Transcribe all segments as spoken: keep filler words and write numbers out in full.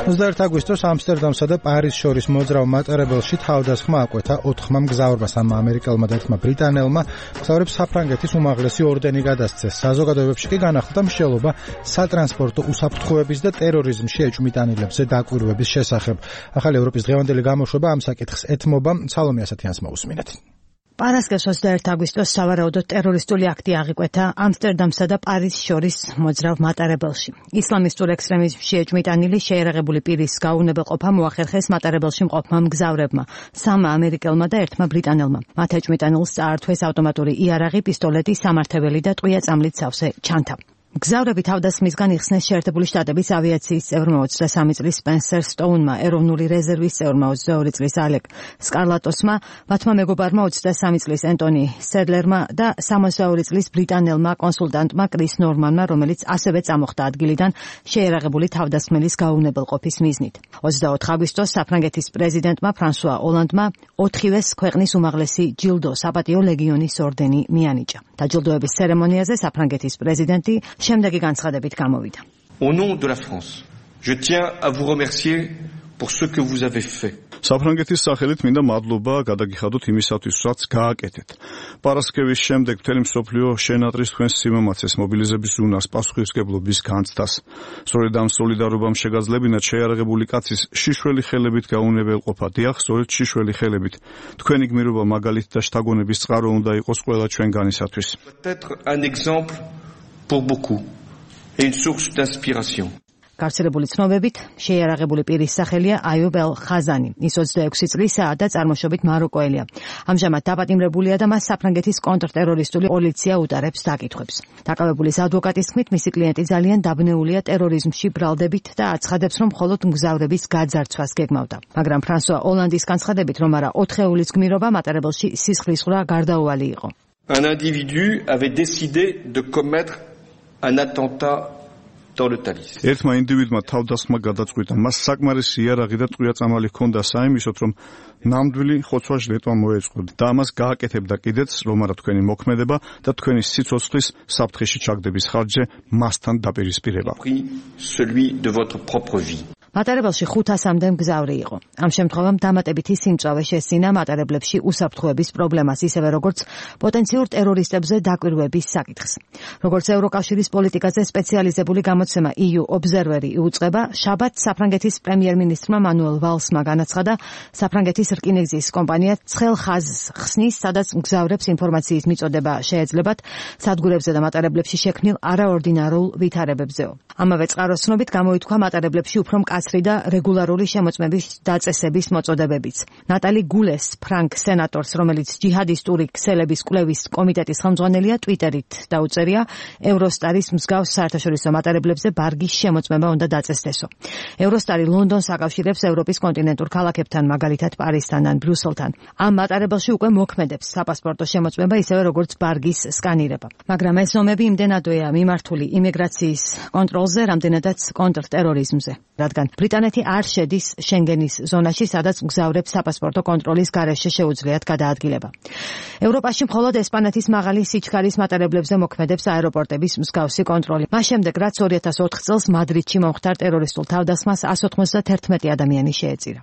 ოცდაერთი აგვისტოს ამსტერდამსა და პარიზს შორის მოძრავ მატარებელში თავდასხმა აკვეთა ოთხმა მგზავრმა, სამმა ამერიკელმა და ერთმა ბრიტანელმა. მგზავრებს საფრანგეთის უმაღლესი ორდენი გადასცეს. საზოგადოებებში კი განახლდა მსჯელობა სატრანსპორტო უსაფრთხოების და ტერორიზმში ეჭვმიტანილებზე დაკვირვების შესახებ. ახალი ევროპის დღევანდელი გამოშვება ამ საკითხს ეთმობა. სალომე ასათიანს მოусმინეთ. პარასკევს ოცდაერთი აგვისტოს სავარაუდოდ ტერორისტული აქტი აღიკვეთა ამსტერდამსა და პარიზს შორის მოძრავ მატარებელში. ისლამისტურ ექსტრემიზმში ეჭვმიტანილი შეიარაღებული პირის გაუგებრობა მოახერხეს მატარებელში მყოფმა მგზავრებმა, სამმა ამერიკელმა და ერთმა ბრიტანელმა. მათ ეჭვმიტანილს წაართვეს ავტომატური იარაღი, პისტოლეტი, სამართებელი და ტყვია წამლით სავსე ჩანთა. მგზავრები თავდასხმისგან იხსნეს შეერთებული შტატების ავიაციის წევრმა ოცდასამი წლის სპენსერ სტოუნმა, ეროვნული რეზერვის წევრმა ოცდაორი წლის ალეკ სკარლატოსმა, მათმა მეგობარმა ოცდასამი წლის ენტონი სედლერმა და სამოცდაორი წლის ბრიტანელმა კონსულტანტმა კრის ნორმანმა, რომელიც ასევე წამოხდა ადგილიდან შეიარაღებული თავდასხმელის გაუგებრობის მიზნით. ოცდაოთხი აგვისტოს საფრანგეთის პრეზიდენტმა ფრანსუა ოლანდმა ოთხივეს ქვეყნის უმაღლესი ჯილდო საპატიო ლეგიონის ორდენი მიანიჭა. დაჯილდოების ცერემონიაზე საფრანგეთის პრეზიდენტი შემდეგი განცხადებით გამოვიდა. Au nom de la France, je tiens à vous remercier pour ce que vous avez fait. საფრანგეთის სახელით მინდა მადლობა გადაგიხადოთ იმისათვის, რაც გააკეთეთ. პარასკევის შემდეგ მთელი მსოფლიო შენატრს თქვენს სიმამაცეს, მობილიზების უნარს, პასუხისმგებლობის განცდას. სწორედ ამ სოლიდარობამ შეგაძლებინათ შეიარაღებული კაცის შიშველი ხელებით გაუნებელყოფა. დიახ, სწორედ შიშველი ხელებით. თქვენი გმირობა მაგალითი და შთაგონების წყარო უნდა იყოს ყველა ჩვენგანისათვის. Peut-être un exemple pour beaucoup et une source d'inspiration. გავრცელებული ცნობებით, შეიარაღებული პირის სახელია აიუბ ელ ხაზანი. ის ოცდაექვსი წლისაა და წარმოშობით მაროკოელია. ამჟამად დაპატიმრებულია და მას საფრანგეთის კონტრტერორისტული პოლიცია უტარებს დაკითხვებს. დაკავებულის ადვოკატის თქმით, მისი კლიენტი ძალიან დაბნეულია ტერორიზმში ბრალდებით და აცხადებს, რომ მხოლოდ მგზავრების გაძარცვას გეგმავდა. მაგრამ ფრანსუა ოლანდის განცხადებით, რომ არა ოთხეულის გმირობა მატარებელში სისხლისღვრა გარდაუვალი იყო. Un individu avait décidé de commettre un attentat dans le Thalys. ერთმა ინდივიდმა თავდასხმა გადაწყვიტა. მას საკმარისი იარაღი და ტყვია წამალი ჰქონდა საიმისოდ, რომ ნამდვილი ხოცვა-ჟლეტვა მოეწყო და ამას გააკეთებდა კიდეც, რომ არა თქვენი მოქმედება და თქვენი სიცოცხლის საფრთხეში ჩაგდების ხარჯზე მასთან დაპირისპირება. Celui de votre propre vie. მატარებელში ხუთასამდე მგზავრი იყო. ამ შემთხვევამ დამატებითი სიმწვავე შესინა მატარებლებში უსაფრთხოების პრობლემას, ისევე როგორც პოტენციურ ტერორისტებზე დაკვირვების საკითხს. როგორც ევროკავშირის პოლიტიკაზე სპეციალიზებული გამოცემა ი იუ Observer-ი იუწყება, შაბათს საფრანგეთის პრემიერ-მინისტრმა მანუელ ვალსმა განაცხადა, საფრანგეთის რკინიგზის კომპანია ცხელ ხაზს ხსნის, სადაც მგზავრებს ინფორმაციის მიწოდება შეეძლებათ სადგურებზე და მატარებლებში შექმნილ არაორდინარულ ვითარებებზეო. ამავე წყაროს ცნობით გამოითქვა მატარებლებში უფრო მკაცრი და რეგულარული შემოწმების დაწესების მოწოდებებიც. ნატალი გულეს, ფრანკ სენატორს, რომელიც ჯიჰადისტური ქსელების კვლევის კომიტეტის ხელმძღვანელია, ტვიტერით დაუწერია, ევროსტარის მსგავს საერთაშორისო მატარებლებზე ბარგის შემოწმება უნდა დაწესდესო. ევროსტარი ლონდონს აკავშირებს ევროპის კონტინენტურ ქალაქებთან, მაგალითად პარიზთან ან ბრიუსელთან. ამ მატარებელში უკვე მოქმედებს საპასპორტო შემოწმება, ისევე როგორც ბარგის სკანირება. მაგრამ ეს ომები იმდენადვეა მიმართული იმიგრაციის კონტროლზე, რამდენადაც კონტრტერორიზმზე. რადგან ბრიტანეთი არ შედის შენგენის ზონაში, სადაც მგზავრებს საპასპორტო კონტროლის გარეშე შეუძლიათ გადაადგილება. ევროპაში მხოლოდ ესპანეთის მაღალი სიჩქარის მატარებლებზე მოქმედებს აეროპორტების მსგავსი კონტროლი. მას შემდეგ, რაც ორი ათას ოთხ წელს მადრიდში მომხდარ ტერორისტულ თავდასხმას εκατს ოცდაათი ადამიანი შეეწირა.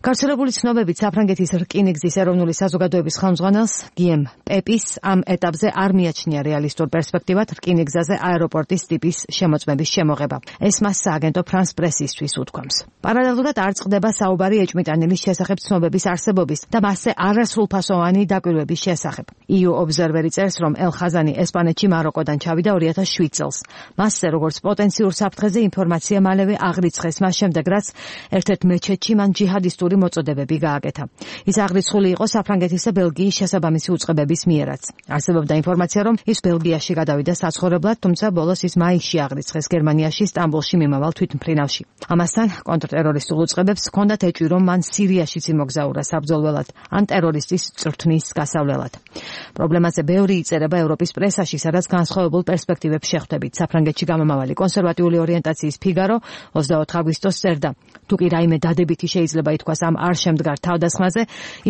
გავრცელებული ცნობებით საფრანგეთის რკინიგზის ეროვნული საზოგადოების ხელმძღვანელს გიემ პეპის ამ ეტაპზე არ მიაჩნია რეალისტურ პერსპექტივად რკინიგზაზე აეროპორტის ტიპის შემოწმების შემოღება. ეს მას სააგენტო ფრანს პრესისთვის უთქვამს. პარალელურად არ წყდება საუბარი ეჭვმიტანილის შესახებ ცნობების არსებობის და მასზე არასრულფასოვანი დაკვირვების შესახებ. ი იუ Observer-ი წერს, რომ ელ ხაზანი ესპანეთში მაროკოდან ჩავიდა ორი ათას შვიდ წელს. მასზე როგორც პოტენციურ საფრთხეზე ინფორმაცია მალევე აღრიცხეს, მას შემდეგ რაც ერთ-ერთ მეჩეთში მან ჯიჰადისტური მოწოდებები გააკეთა. ის აღრიცხული იყო საფრანგეთის და ბელგიის შესაბამისი უწყებების მიერაც. არსებობდა ინფორმაცია, რომ ის ბელგიაში გადავიდა საცხოვრებლად, თუმცა ბოლოს ის მაისში აღრიცხეს გერმანიაში, სტამბოლში მიმავალ თვითმფრინავში. ამასთან კონტრტერორისტულ უწყებებს ჰქონდათ ეჭვი, რომ მან სირიაშიც იმოგზაურა საბრძოლველად ან ტერორისტის წრთნის გასავლელად. პრობლემაზე ბევრი იწერება ევროპის პრესაში, სადაც განსხვავებულ პერსპექტივებს შეხვდებით. საფრანგეთში გამომავალი კონსერვატიული ორიენტაციის ფიგარო ოცდაოთხი აგვისტოს წერდა. თუ კი რაიმე დადებითი შეიძლება ითქვას ამ არ შემდგარ თავდასხმაზე,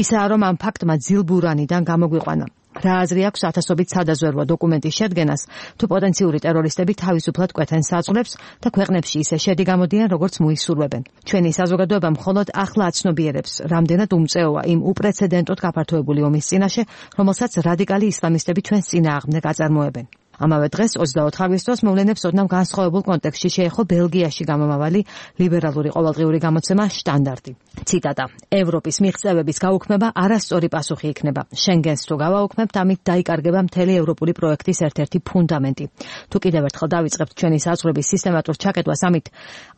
ისაა, რომ ამ ფაქტმა ძილბურანიდან გამოგვიყვანა. რა აზრი აქვს ათასობით სადაზვერვო დოკუმენტის შედგენას, თუ პოტენციური ტერორისტები თავისუფლად კვეთენ საწყლებს და ქვეყნებში ისე შედი გამოდიან, როგორც მოისურვებენ. ჩვენი საზოგადოება მხოლოდ ახლა აცნობიერებს, რამდენად უმწეოა იმ უპრეცედენტოდ გაფართოებული ომის წინაშე, რომელსაც რადიკალი ისლამისტები ჩვენს წინააღმდეგ აწარმოებენ. ამავე დღეს ოცდაოთხ აგვისტოს მოვლენებს ოდნავ განსხვავებულ კონტექსტში შეეხო ბელგიაში გამომავალი ლიბერალური ყოველდღიური გამოცემა შტანდარტი. ციტატა: ევროპის მიღწევების გაუქმება არასწორი პასუხი იქნება. შენგენს თუ გავაუქმებთ, ამით დაიკარგება მთელი ევროპული პროექტის ერთ-ერთი ფუნდამენტი. თუ კიდევ ერთხელ დავიწყებთ ჩვენი საზღვრების სისტემატურ ჩაკეტვას, ამით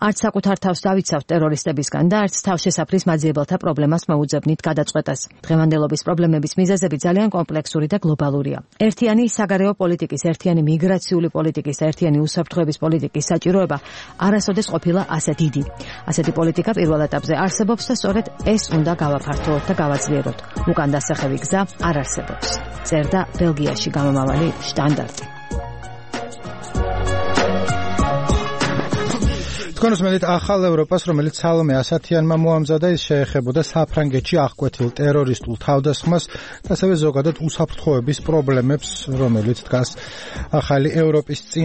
არც საკუთარ თავს დავიცავთ ტერორისტებისგან და არც თავშესაფრის მაძიებელთა პრობლემას მოუძებნით გადაწყვეტას. დღევანდელობის პრობლემების მიზეზები ძალიან კომპლექსური და გლობალურია. ერთიანი საგარეო პოლიტიკის, ერთიანი მიგრაციული პოლიტიკის და ერთიანი უსაფრთხოების პოლიტიკის საჭიროება არასოდეს ყოფილა ასე დიდი. ასეთი პოლიტიკა პირველ ეტაპზე არსებობს და სწორედ ეს უნდა გავაფართოვოთ და გავაძლიეროთ. უკან დასახევი გზა არ არსებობს. წერდა ბელგიაში გამომავალი შტანდარტი. თქვენ უსმენთ ახალ ევროპას, რომელიც სალომე ასათიანმა მოამზადა, ის შეეხებოდა საფრანგეთში აღკვეთილ ტერორისტულ თავდასხმას და ასევე ზოგადად უსაფრთხოების პრობლემებს, რომელიც დგას ახალი ევროპის